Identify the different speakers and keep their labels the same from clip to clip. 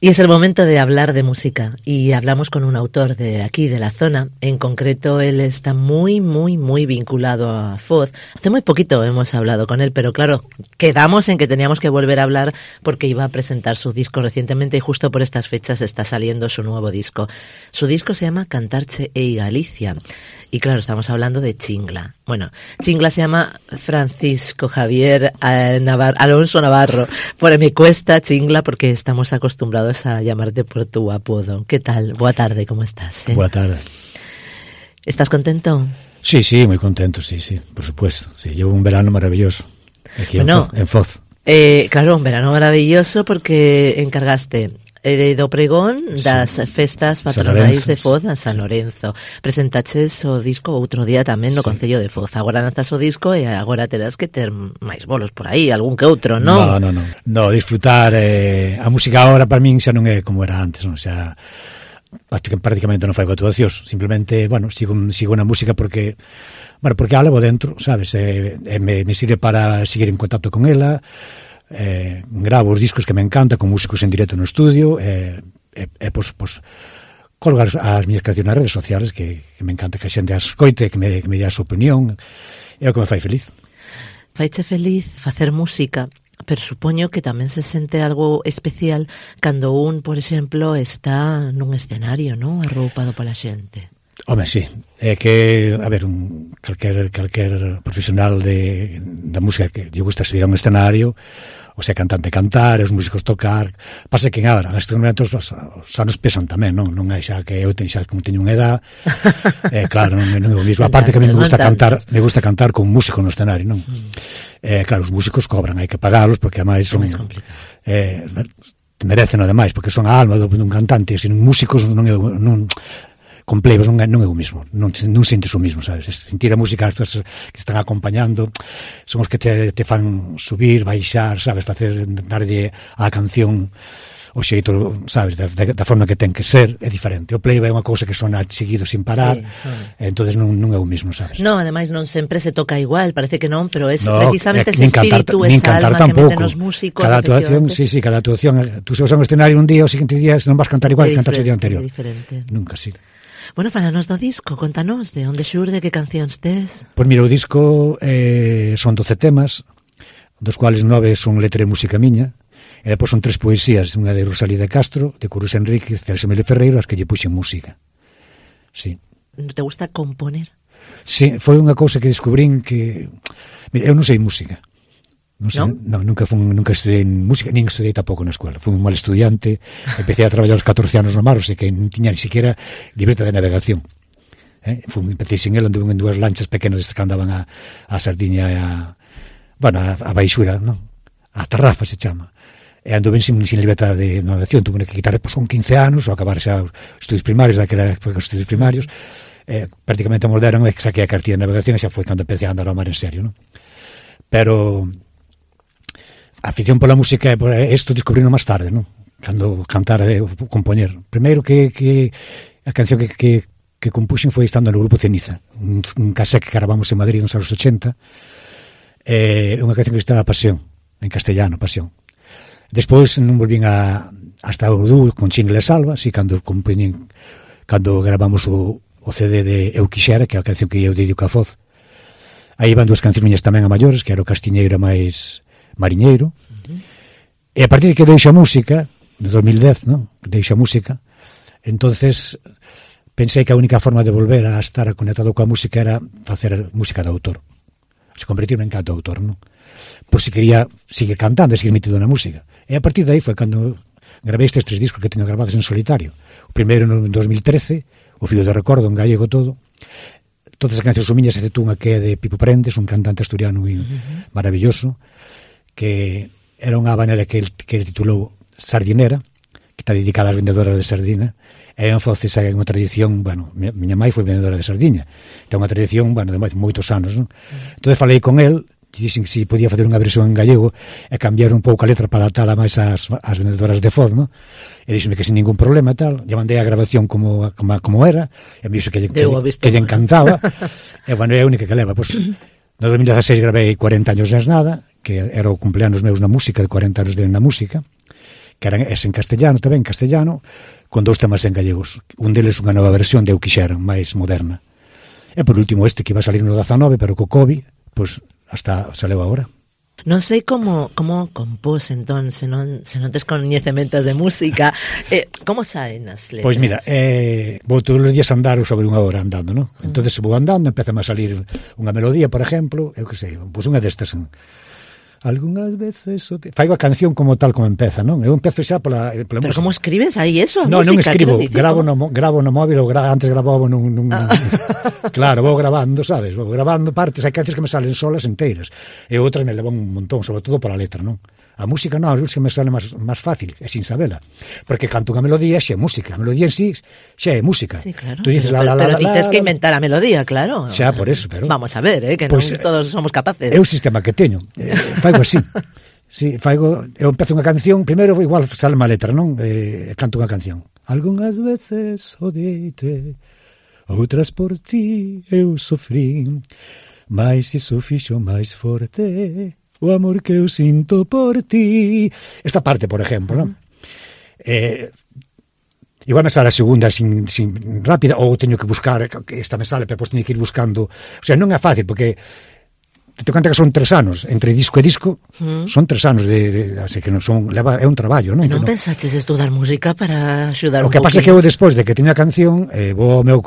Speaker 1: Y es el momento de hablar de música y hablamos con un autor de aquí, de la zona. En concreto, él está muy vinculado a Foz. Hace muy poquito hemos hablado con él, pero claro, quedamos en que teníamos que volver a hablar porque iba a presentar su disco recientemente y justo por estas fechas está saliendo su nuevo disco. Su disco se llama Cantarche e Galicia. Y claro, estamos hablando de Chingla. Bueno, Chingla se llama Francisco Javier Alonso Navarro. Me cuesta Chingla porque estamos acostumbrados a llamarte por tu apodo. ¿Qué tal? Boa tarde, ¿cómo estás?
Speaker 2: Boa tarde.
Speaker 1: ¿Estás contento?
Speaker 2: Sí, muy contento, sí, por supuesto. Sí, llevo un verano maravilloso aquí en Foz.
Speaker 1: Claro, un verano maravilloso porque encargaste do pregón das festas patronais de Foz a San Lorenzo. Presentaches o disco outro día tamén no Concello de Foz. Agora lanzas o disco e agora terás que ter máis bolos por aí, algún que outro, non?
Speaker 2: No, disfrutar a música agora para min xa non é como era antes, non? Xa prácticamente non fai actuacións, simplemente, sigo na música porque a levo dentro, sabes? Me sirve para seguir en contacto con ela. Gravo os discos que me encanta con músicos en directo no estudio colgar as miñas cancións nas redes sociales que me encanta que a xente as escoite, que me dé a súa opinión, é o que me fai feliz.
Speaker 1: Faiche feliz facer música, pero supoño que tamén se sente algo especial cando por exemplo, está nun escenario, non? Arroupado pola xente.
Speaker 2: Home, sí, é que, a ver, calquer profesional da música que lle gusta subir a un escenario, o sea, cantante cantar, os músicos tocar, pasa que agora, nestes momentos, xa nos pesan tamén, non é xa que eu como teño unha edad, claro, non é o mismo, aparte que a mí me gusta cantar con un músico no escenario, non? Claro, os músicos cobran, hai que pagalos, porque ademais son... merecen ademais, porque son a alma dun cantante, e sin músicos con plebos non é o mismo, non sentes o mismo, sabes? Sentir a música que están acompañando son os que te fan subir, baixar, sabes? Darlle á canción o xeito, sabes? Da forma que ten que ser, é diferente. O playback é unha cousa que sona seguido sin parar, entonces non é o mismo, sabes?
Speaker 1: Non, ademais non sempre se toca igual, parece que non, pero é precisamente ese espírito, esa alma que meten os músicos.
Speaker 2: Cada actuación, cada actuación, tú se vas a un escenario un día, o seguinte día non vas cantar igual que cantaste o día anterior. Nunca, sí.
Speaker 1: Bueno, falanos do disco, contanos de onde xurde, que cancións tes?
Speaker 2: Pois mira, o disco son 12 temas, dos cuales 9 son letra e música miña, e depois son 3 poesías, unha de Rosalía de Castro, de Curus Enríquez, Celso Mele Ferreiro, as que lle puxen música. Sí.
Speaker 1: Te gusta componer?
Speaker 2: Sí, foi unha cousa que descubrín que... Mira, eu non sei música. Nunca estudei música, nin estudei tampouco na escola. Fui un mal estudiante, empecé a traballar aos 14 anos no mar, o sea que non tiña ni siquiera libreta de navegación. Empecé sin ela, anduve en 2 lanchas pequenas que andaban a Sardiña e a Baixura, non? A Tarrafa se chama. E anduve sin libreta de navegación, tuve que quitar, con 15 anos, ou acabar xa os estudios primarios, daquela época os estudios primarios, prácticamente molderon e saquei a cartilla de navegación e xa foi cando empecé a andar ao mar en serio, non? Pero a afición pola música isto descubrino máis tarde, non? Cando cantar e compoñer. Primeiro que a canción que compuxen foi estando no grupo Ceniza, un casé que gravamos en Madrid nos anos 80, unha canción que estaba Pasión, en castellano, Pasión. Despois non volvín hasta o dúo con Chingla e Salva, así cando gravamos o CD de Eu Quixera, que é a canción que eu dedico a Foz. Aí van 2 cancións miñas tamén a maiores, que era o Castiñeiro máis Mariñeiro, e a partir de que deixo a música, de 2010, non? Deixo a música, entonces pensei que a única forma de volver a estar conectado coa música era facer música de autor, se convertirme en cantautor, non? Por si quería seguir cantando e seguir metido na música. E a partir de aí foi cando gravei estes 3 discos que teño gravados en solitario. O primeiro en 2013, O Fío de Recordo, en gallego todo. Todas as cancións son miñas, excepto unha que é de Pipo Prendes, un cantante asturiano maravilloso, que era unha habanera que ele titulou Sardinera, que está dedicada ás vendedoras de sardina, e en Foz esa é unha tradición, miña mãe foi vendedora de sardiña, é unha tradición, de moitos anos, non? Entón falei con el, dixen que si podía facer unha versión en gallego e cambiar un pouco a letra para adaptala máis ás vendedoras de Foz, non? E díxeme que sin ningún problema e tal, lle mandei a grabación como era, e me dixo que lle encantaba, e é a única que leva, pois, no 2016 gravei 40 años de nada, que era o cumpleanos meus na música, de 40 anos na música, que eran ese en castellano tamén, con 2 temas en gallegos. Un deles unha nova versión de Eu Quixera, máis moderna. E por último este que iba a salir no 19, pero co COVID, pois hasta saleu agora.
Speaker 1: Non sei como compós entón, se non tes coñecementos de música, como saen as letras?
Speaker 2: Pois mira, vou todos os días andar sobre unha hora andando, non? Entonces vou andando, empeza a salir unha melodía, por exemplo, eu que sei, pois unha destas, algunhas veces faigo a canción como tal como empeza, non? Eu empezo xa pola
Speaker 1: Pero
Speaker 2: música.
Speaker 1: como escribes aí eso?
Speaker 2: Non escribo, gravo no móvil ou antes gravaba nun claro, vou grabando, sabes? Vou grabando partes, hai cancións que me salen solas enteiras e outras me levan un montón, sobre todo pola letra, non? A música non, a música me sale máis fácil, é sin sabela, porque canto unha melodía xa é música, a melodía en sí xa é música.
Speaker 1: Sí, claro.
Speaker 2: Tú dices
Speaker 1: pero dices que inventar a melodía, claro.
Speaker 2: Xa, por eso, pero
Speaker 1: vamos a ver, que
Speaker 2: pues,
Speaker 1: non todos somos capaces.
Speaker 2: É o sistema que teño. Faigo así. Sí, eu empezo unha canción, primeiro igual sale má letra, non? Canto unha canción. Algunhas veces odiei-te, outras por ti eu sofrín, mais iso fixo máis forte o amor que eu sinto por ti. Esta parte, por exemplo, non? Igual me sale a segunda sin rápida, ou teño que buscar, que esta me sale, pero depois teño que ir buscando. O sea, non é fácil, porque te conta que son 3 anos, entre disco e disco, son 3 anos así que non son, é un traballo, non?
Speaker 1: Non pensaches estudar música para axudar
Speaker 2: un pouquinho? O que pasa é que eu despois de que teño a canción, vou ao meu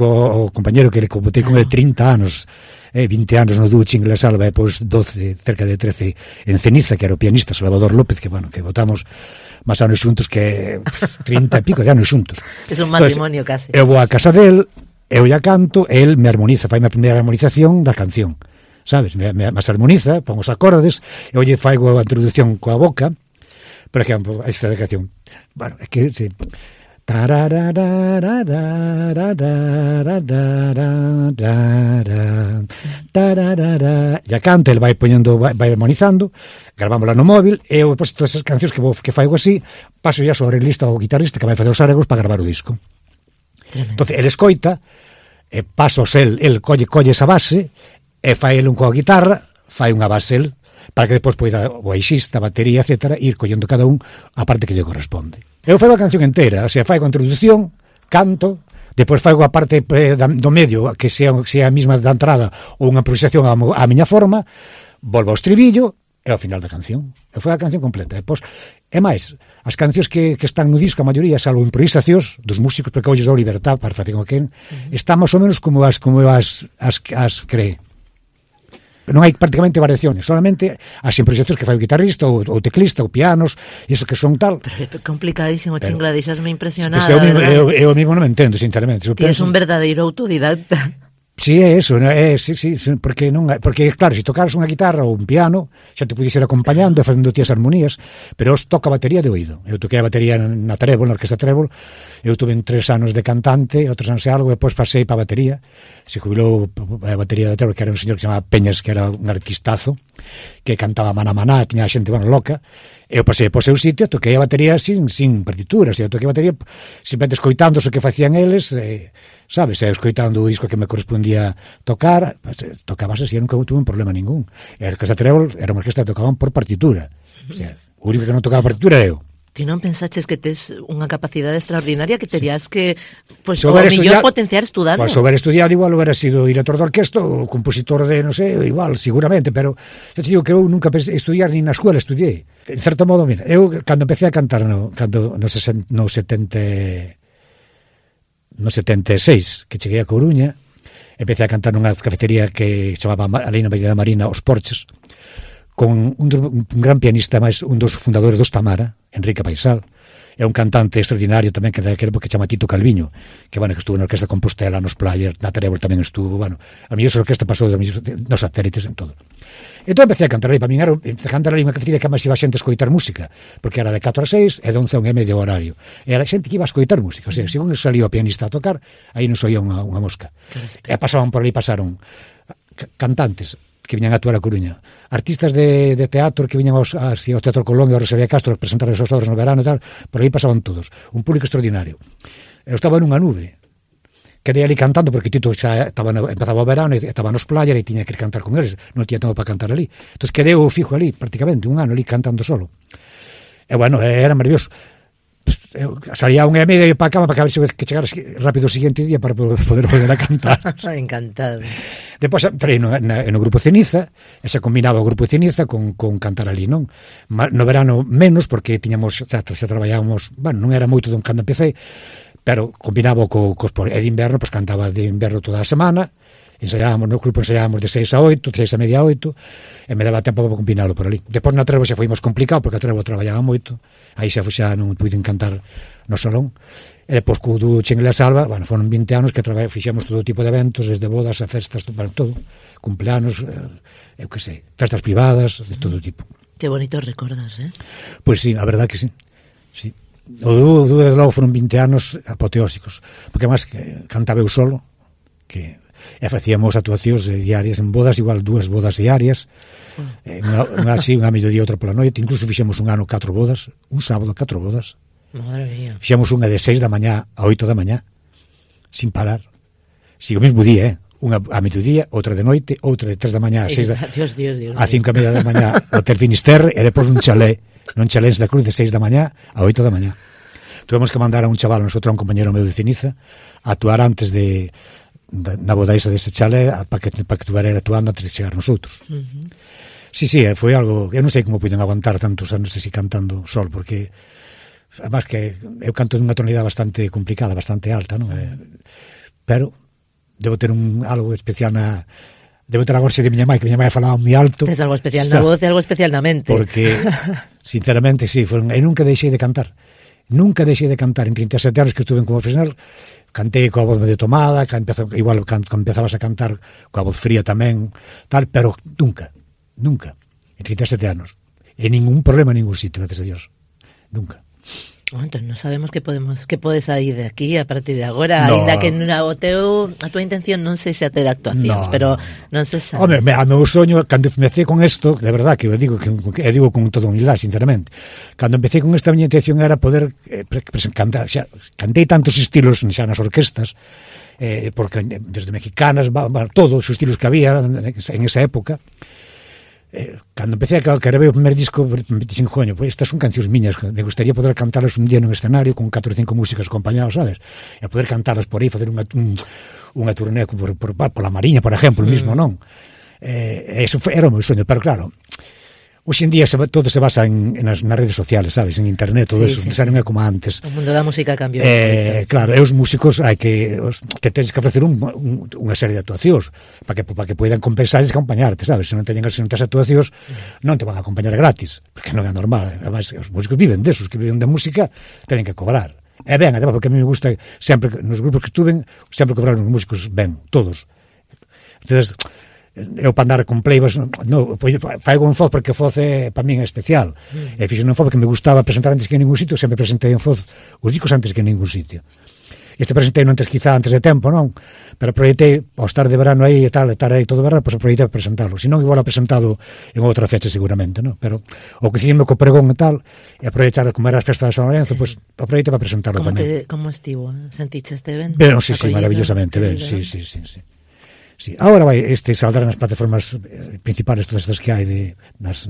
Speaker 2: compañero que botei con ele 30 anos, 20 anos no dúo Chingle Salva e pois 12, cerca de 13 en Ceniza, que era o pianista Salvador López, que bueno, que votamos máis anos xuntos que 30 e pico de anos xuntos.
Speaker 1: É un matrimonio case.
Speaker 2: Eu vou á casa del, eu ya canto, e el me armoniza, fai a primeira armonización da canción, sabes? Me armoniza, pon os acordes, e eu lle faigo a introducción coa boca, por exemplo, esta da canción. Bueno, é que sí. Ya canta, ele vai poñendo, vai armonizando, gravámola no móvil, e eu depois todas as cancións que faigo así, paso ya sobre a lista ao guitarrista que vai facer os arreglos para gravar o disco. Entonces, ele escoita, e pasos el colle esa base, e fai el un coa guitarra, fai unha base el, para que depois poida o baixista, a batería, etc., ir collendo cada un a parte que lle corresponde. Eu faigo a canción inteira, o sea, faigo a introducción, canto, depois faigo a parte do medio, que sea a mesma da entrada ou unha improvisación á miña forma, volvo ao estribillo e ao final da canción. Eu fai a canción completa. Depois, é máis, as cancións que están no disco, a maioría, salvo improvisacións dos músicos, porque hoxe dou libertad para facer con quen, están máis ou menos como as cree. Non hai prácticamente variaciones, solamente as improvisacións que fai o guitarrista ou teclista ou pianos, iso que son tal.
Speaker 1: Pero é complicadísimo, Chingla, deixasme impresionada.
Speaker 2: Eu mismo non me entendo, sinceramente.
Speaker 1: Tienes un verdadeiro autodidacta.
Speaker 2: Sí, é eso, sí, porque claro, se tocaras unha guitarra ou un piano, xa te pudies ir acompañando e facendo ti as armonías, pero os toca a batería de oído. Eu toquei a batería na Trébol, na Orquesta Trébol, eu tuve 3 anos de cantante, outros anos e algo, e depois pasei para a batería, se jubilou a batería da Trébol, que era un señor que se chamaba Peñas, que era un artistazo, que cantaba maná, tiña a xente, loca, e eu pasei por seu sitio, toquei a batería sin partituras, eu toquei a batería simplemente escoitando o que facían eles, sabes, escoitando o disco que me correspondía tocar, tocabas así, eu nunca tuve un problema ningún. E a Orquesta Trébol era unha orquesta que tocaban por partitura, o sea, o único que non tocaba partitura era eu.
Speaker 1: Ti non pensaches que tes unha capacidade extraordinaria que terías que, pois, o mellor potenciar estudando?
Speaker 2: Pois, souber estudiado igual hubiera sido director de orquesta ou compositor de, non sei, igual, seguramente, pero xa te digo que eu nunca pensei estudiar, nin na escuela estudiei. En certo modo, mira, eu cando empecé a cantar no 76, que cheguei a Coruña, empecé a cantar nunha cafetería que chamaba ali na Avenida Marina Os Porches, con un gran pianista, máis un dos fundadores dos Tamara, Enrique Paisal, é un cantante extraordinario tamén que daquela que chama Tito Calviño, que estuvo na Orquesta Compostela, nos Players, na Trébol tamén estuvo, a mellor orquesta pasou nos satélites en todo. Entón empecé a cantar ali, para min era a cantar ali unha cafetería que máis iba a xente a escoitar música, porque era de 4 a 6 e de 11 a 1 e medio horario. E era xente que iba a escoitar música, o sea, según salía o pianista a tocar, aí non soía unha mosca. E pasaban por ali, pasaron cantantes que viñan a actuar a Coruña, artistas de teatro que viñan ao Teatro Colón e ao Rosalía Castro a presentar as súas obras no verano e tal, por aí pasaban todos, un público extraordinario. Eu estaba nunha nube, quedei ali cantando porque Tito xa empezaba o verano e estaba nos Playas e tiña que ir cantar con eles, non tiña tempo para cantar ali, entón quedei fijo ali prácticamente un ano ali cantando solo, e era maravilloso. eu salía a 1:30 e para a cama para ver que chegar rápido o seguinte día para poder volver a cantar.
Speaker 1: Encantado.
Speaker 2: Depois entrei no grupo Ceniza, e se combinaba o grupo Ceniza con cantar ali, non? No verano menos, porque tiñamos, xa traballábamos, bueno, non era moito cando empecé, pero combinaba cos de inverno, pois cantaba de inverno toda a semana, ensaiábamos, no grupo ensaiábamos de 6 a 8, de 6:30 a 8, e me daba tempo para combinalo por ali. Depois na Trevo xa foi máis complicado, porque a Trevo traballaba moito, aí xa non puiden cantar no salón. E depois co do Chengle a Salva, bueno, foron 20 anos que fixemos todo tipo de eventos, desde bodas a festas, para todo, cumpleanos, eu que sei, festas privadas, de todo tipo.
Speaker 1: Que bonitos recordos,
Speaker 2: Pois sí, a verdad que sí. Sí. O do desde logo foron 20 anos apoteósicos, porque además cantaba eu solo, que facíamos actuacións diarias en bodas, igual 2 bodas diarias, unha así, unha mediodía, outra pola noite, incluso fixemos un ano 4 bodas, un sábado 4 bodas.
Speaker 1: Madre mía.
Speaker 2: Fixemos unha de 6 da mañá a 8 da mañá, sin parar. Si, o mesmo día, unha a mediodía, outra de noite, outra de 3 da mañá a 6 da...
Speaker 1: Dios.
Speaker 2: A 5:30 da mañá ao Hotel Finisterre, e depois un chalé en da Cruz de 6 da mañá a 8 da mañá. Tuvemos que mandar a un chaval, nosotros, a un compañero meu de Ceniza, a actuar antes na boda esa dese chalé, para que tuvera actuando antes de chegar nosotros. Sí, foi algo, eu non sei como puiden aguantar tantos anos así cantando sol, porque además que eu canto nunha tonalidade bastante complicada, bastante alta, non? Pero debo ter algo especial debo ter a gorxe de miña mãe, que miña mãe falaba moi alto.
Speaker 1: Tes algo especial na voz e algo especial na mente.
Speaker 2: Porque, sinceramente, sí, eu nunca deixei de cantar. Nunca deixei de cantar. En 37 anos que estuve como profesional, cantei coa voz medio tomada, igual empezabas a cantar coa voz fría tamén, tal, pero nunca, en 37 anos. E ningún problema en ningún sitio, gracias a Dios. Nunca.
Speaker 1: Bueno, entón non sabemos que podes sair de aquí a partir de agora, ainda que a tua intención non sei se a ter actuacións, pero non se sabe.
Speaker 2: Home, a meu soño, cando empecé con isto, de verdad que eu digo con toda humildade, sinceramente, cando empecé con esta miña intención era poder cantar, xa, cantei tantos estilos xa nas orquestas, porque desde mexicanas, todos os estilos que había en esa época. Cando empecé a grabei o primer disco, dixen, coño, pues estas son cancións miñas, me gustaría poder cantarlas un día nun escenario con 4 ou 5 músicos acompañados, sabes? E poder cantarlas por aí, facer unha turné por la Mariña, por exemplo, mismo, non? Eso era o meu soño, pero claro, hoxe en día todo se basa nas redes sociales, sabes? En internet, todo eso, xa non é como antes.
Speaker 1: O mundo da música cambiou.
Speaker 2: Claro, os músicos hai que tens que facer unha serie de actuacións para que poidan compensar e acompañarte, sabes? Se non teñen as actuacións, non te van a acompañar gratis, porque non é normal. Además, os músicos viven desos, que viven de música, teñen que cobrar. E ben, además, porque a mí me gusta sempre, nos grupos que estuven, sempre cobraron os músicos ben, todos. Entonces, eu para andar con pleibas faigo en Foz porque Foz para min é especial, e fixo en Foz porque me gustaba presentar antes que en ningún sitio, sempre presentei en Foz os discos antes que en ningún sitio. Presentei quizá antes de tempo, non? Pero proyectei, ao estar de verano aí e tal, estar aí todo verano, pois proyectei para presentarlo. Se non, igual a presentado en outra fecha seguramente, non? Pero o que fixeme co pregón e tal, e aproveitar como era as festas de San Lorenzo, pois aproveitei para presentarlo tamén.
Speaker 1: Como estivo? Sentiches este evento?
Speaker 2: Ben, sí, maravillosamente, ben, sí. Sí, ahora saldrán nas plataformas principales todas estas que hai nas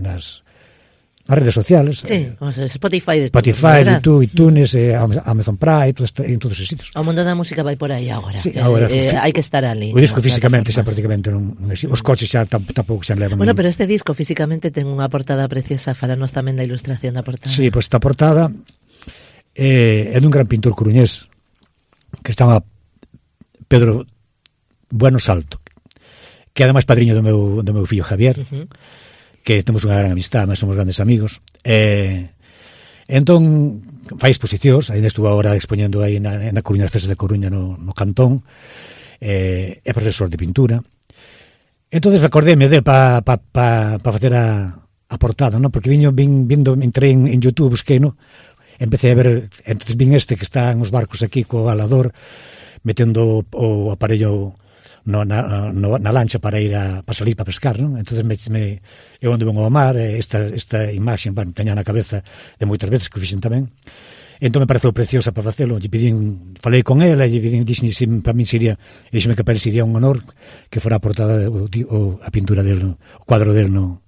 Speaker 2: redes sociales.
Speaker 1: Sí, como Spotify,
Speaker 2: YouTube, iTunes, Amazon Prime, en todos os sitios.
Speaker 1: O mundo da música vai por aí agora.
Speaker 2: Sí, agora
Speaker 1: hai que estar ali.
Speaker 2: O disco físicamente xa prácticamente non existe. Os coches xa tampouco xa levan.
Speaker 1: Bueno, pero este disco físicamente ten unha portada preciosa, falanos tamén da ilustración da portada.
Speaker 2: Sí, pois esta portada é dun gran pintor coruñés que estaba Pedro Bueno Salto, que ademais padriño do meu fillo Javier, que temos unha gran amistad, mas somos grandes amigos. Entón fai exposicións, ainda estuvo agora expoñendo aí na Coruña, nas festas de Coruña no Cantón, é profesor de pintura. Entón recordéme dele para facer a portada, non? Porque entrei en YouTube, busquei, non? Empecé a ver, entón vin que está en os barcos aquí co alador, metendo o aparello na lancha para salir para pescar, non? Entonces eu onde vengo ao mar, esta imaxe, teña na cabeza de moitas veces que o fixen tamén. Entón me pareceu preciosa para facelo, falei con ela e dixen se para min sería, e dixeme que parecería un honor que fora a portada a pintura del, o cuadro del no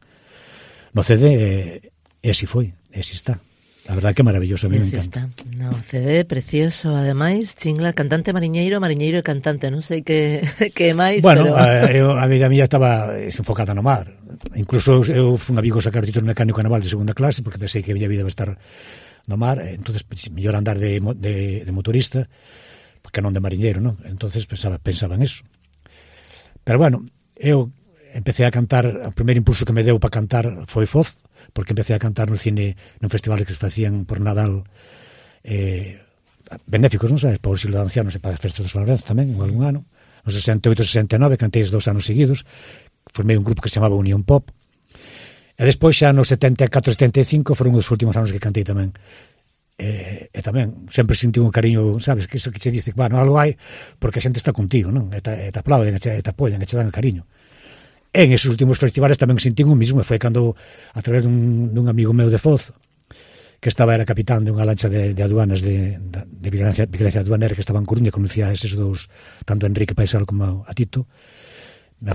Speaker 2: CD, e así foi, e así está. A verdade que é maravilloso, a mí me encanta.
Speaker 1: No, CD precioso, ademais, Chingla, cantante mariñeiro e cantante, non sei que máis,
Speaker 2: bueno,
Speaker 1: pero...
Speaker 2: a vida mía estaba enfocada no mar. Incluso eu fui un amigo sacar o título mecánico naval de segunda clase, porque pensei que a miña vida vai estar no mar, entonces mellor andar de motorista, porque non de mariñeiro, non? Entonces pensaba en eso. Pero bueno, eu empecé a cantar, o primeiro impulso que me deu para cantar foi Foz, porque empecé a cantar no cine, nun festival que se facían por Nadal, benéficos, non sabes, para o Silo de Ancianos e para as festas de San Lorenzo tamén, en algún ano. No 68-69, cantei 2 anos seguidos, formei un grupo que se chamaba Unión Pop, e despois xa no 74-75 foron os últimos anos que cantei tamén. E tamén sempre senti un cariño, sabes, que iso que che dice, bueno, algo hai porque a xente está contigo, non? E te aplauden, e te apoian, e te dan cariño. En esos últimos festivales tamén senti un mismo, e foi cando, a través dun amigo meu de Foz, que era capitán de unha lancha de aduanas de vigilancia aduanera que estaba en Coruña, conocía a eses dous, tanto a Enrique Paisal como a Tito,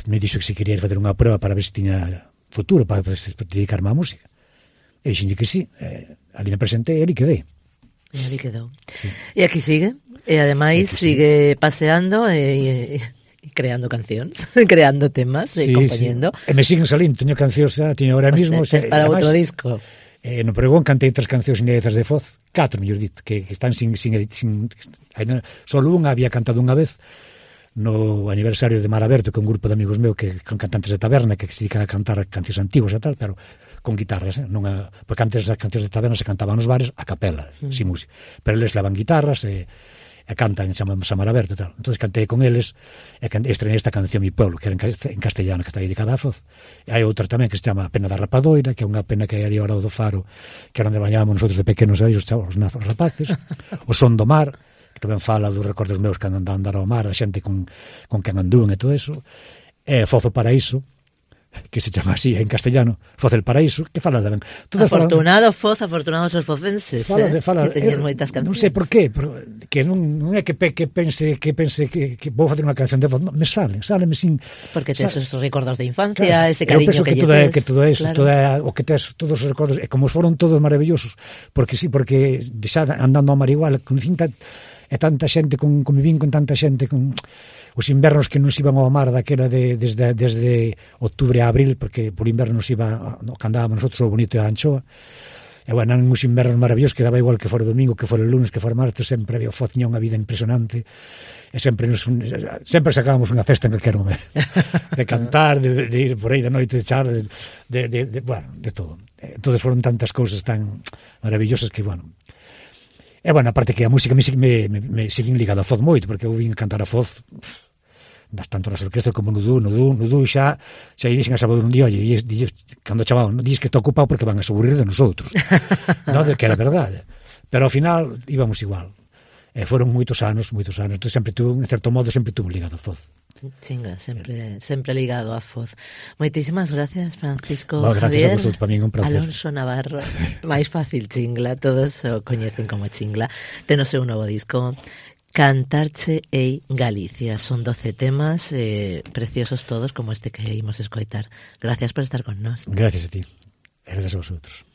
Speaker 2: me dixo que se quería facer unha prueba para ver se tiña futuro para dedicarme á música. E dixenlle que sí, ali me presentei e ali quedei.
Speaker 1: E ali quedou.
Speaker 2: Sí.
Speaker 1: E aquí sigue, e ademais sigue paseando e creando cancións, creando temas e compañendo.
Speaker 2: Sí. E me siguen salindo, teño cancións, teño ahora mismo.
Speaker 1: Para outro disco.
Speaker 2: No pregón cantei 3 cancións inéditas de Foz, 4, mellor dito, que están sin solo unha había cantado unha vez no aniversario de Mar Aberto, que é un grupo de amigos meus que son cantantes de taberna que se dedican a cantar cancións antiguas e tal, pero con guitarras, porque antes as cancións de taberna se cantaban nos bares a capela, sin música, pero eles levan guitarras e cantan, chamamos a Mar Aberto e tal. Entonces cantei con eles e estrenei esta canción Mi Pueblo, que era en castellano, que está dedicada a Foz. E hai outra tamén que se chama Pena da Rapadoira, que é unha pena que hai ali ao lado do faro, que era onde bañábamos nosotros de pequenos aí, os rapaces. O Son do Mar, que tamén fala dos recordos meus que andan a andar ao mar, da xente con quen andúan e todo eso. E Foz o Paraíso, que se chama así en castellano, Foz el Paraíso, que fala tamén.
Speaker 1: Afortunado Foz, afortunados os focenses,
Speaker 2: que
Speaker 1: teñen moitas cancións.
Speaker 2: Non sei por qué, que non é que pense que vou facer unha canción de Foz, non, me sáleme sin...
Speaker 1: Porque tes os recordos de infancia, ese cariño que lle tes.
Speaker 2: Que todo eso, claro. O que tes, todos os recordos, e como foron todos maravillosos, porque xa andando ao mar igual, conocín tanta xente, convivín con tanta xente, con os invernos que nos iban ao mar daquela desde outubro a abril, porque por inverno nos iba, que andábamos nosotros o Bonito e a Anchoa, e bueno, eran uns invernos maravillosos que daba igual que fora domingo, que fora lunes, que fora martes, sempre había Foz, tiña unha vida impresionante, e sempre sacábamos unha festa en calquer momento, de cantar, de ir por aí de noite, de char, bueno, de todo. Entonces foron tantas cousas tan maravillosas que, bueno, e bueno, aparte que a música me siguen ligado a Foz moito, porque eu vin cantar a Foz tanto nas orquestas como no dúo xa dixen a sábado un día, oye, cando chamaban, dixes que está ocupado porque van a se aburrir de nosotros, non, que era verdade, pero ao final íbamos igual, e foron moitos anos, entón sempre tuve, en certo modo, sempre tuve ligado a Foz.
Speaker 1: Chinga, sempre ligado a Foz. Moitísimas gracias, Francisco
Speaker 2: Javier.
Speaker 1: Gracias
Speaker 2: a vosotros, para mí é un placer.
Speaker 1: Alonso Navarro, máis fácil Chingla, todos o coñecen como Chingla. Ten o seu novo disco, Cantarche ei Galicia. Son 12 temas preciosos todos, como este que imos escoitar. Gracias por estar con nós.
Speaker 2: Gracias a ti. Gracias a vosotros.